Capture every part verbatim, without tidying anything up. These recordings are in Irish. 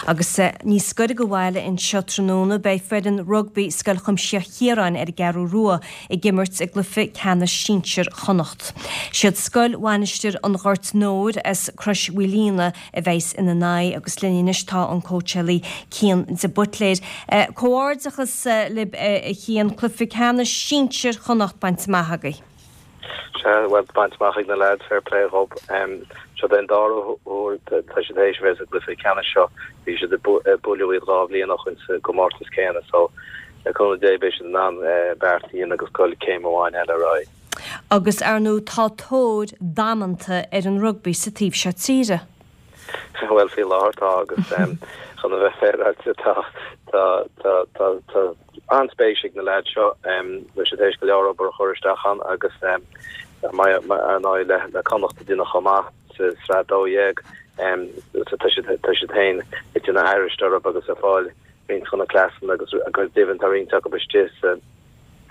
Agus níos gaire do bhaile anseo tráthnóna beidh foireann rugbaí Scoil Chuimsitheach Chiaráin ar an gCeathrú Rua ag imirt i gcluiche ceannais sinsir Chonnacht. Siad Scoil Mhainistir an Ghoirt Nóir as Crois Mhaoilíona a bheas ina n-aghaidh agus linn anois tá an cóitseálaí Cian de Buitléir. Comhghairdeachas libh a Chian cluiche ceannais sinsir Chonnacht bainte amach agaibh. Sea, bhuel, bainte amach ag na lads, fair play dhób. Seo den dara huair tá siad théis bheith sa gcluiche ceannais seo. Bhí siad ag bualadh iad dhá bhliain ó shin sa gcomórtas céanna so le cúnamh Dé beidh siad in ann beart a dhéanamh agus dul céim amháin eile ar aghaidh. Agus ar ndóigh tá tóir damanta ar an rugbaí sa taobh seo tíre. Bhuel faoi láthair tá agus chun a bheith féaráilte tá tá tá tá tá an-spéis ag na lads seo bhfuil siad théis go leor obair a chur isteach ann agus ar ndóigh le le Connacht a déanamh chomh maith sa sraith dó dhéag tá siad tá siad féin ag déanamh aithris orthu agus ag fáil roinnt de na cleasanna agus go deimhin tá roinnt acu istigh sa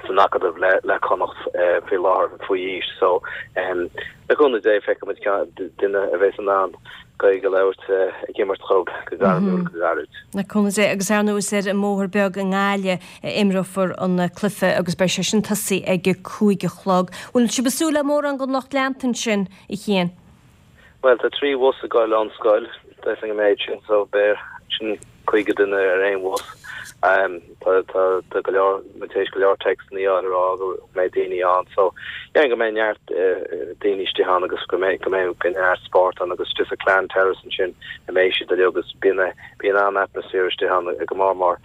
san acadamh le le Connacht faoi láthair faoi aois so le cúnamh Dé feicfimid duine a bheas in ann Gaeilge a labhairt ag imirt dhóibh go gairmiúil go gairid. Le cúnamh Dé agus ar ndóigh is ar an mBóthar Beag i nGaillimh a imreofar an cluiche agus beidh sé sin tosaithe ag a cúig a chlog. Bhfuil sibh ag súil le mórán den lucht leanta ansin, a Chian? Bhuel tá trí bhus ag goil ón scoil, deirfinn an méid sin so beidh sin caoga duine ar aon bhus. Tá tá tá go leor muid théis go leor téacsanna a fháil ag rá go mbeidh daoine ann so yeah go mbeidh neart daoine istigh ann agus go mbeidh go mbeidh go neart spórt ann agus istigh sa Clan Terrace ansin a mbeidh siad uilig agus bíonn bíonn an-atmaisféar istigh ann go mór mór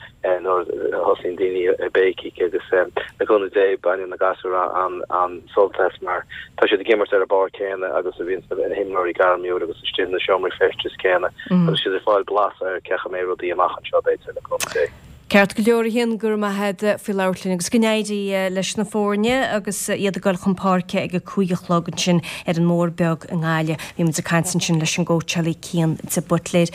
nuair a thosaíonn daoine ag béicíl agus le cúnamh Dé baineann na gasúir an an sult as mar tá siad ag imirt ar an bpáirc céanna agus a bhíonn na himreoirí gairmiúil agus istigh na seomraí feistis céanna agus siad ag fáil blas ar cén chaoi a mbeidh rudaí amach anseo b'fhéidir le cúnamh Dé. Ceart go leor a Chian go raibh maith agat faoi labhairt linn agus go n-éirí leis na foirne agus iad ag dul chun páirce ag a cúig a chlog ansin ar an mBóthar Beag i nGaillimh. Bhí muid ag caint ansin leis an gcóitseálaí Cian de Buitléir.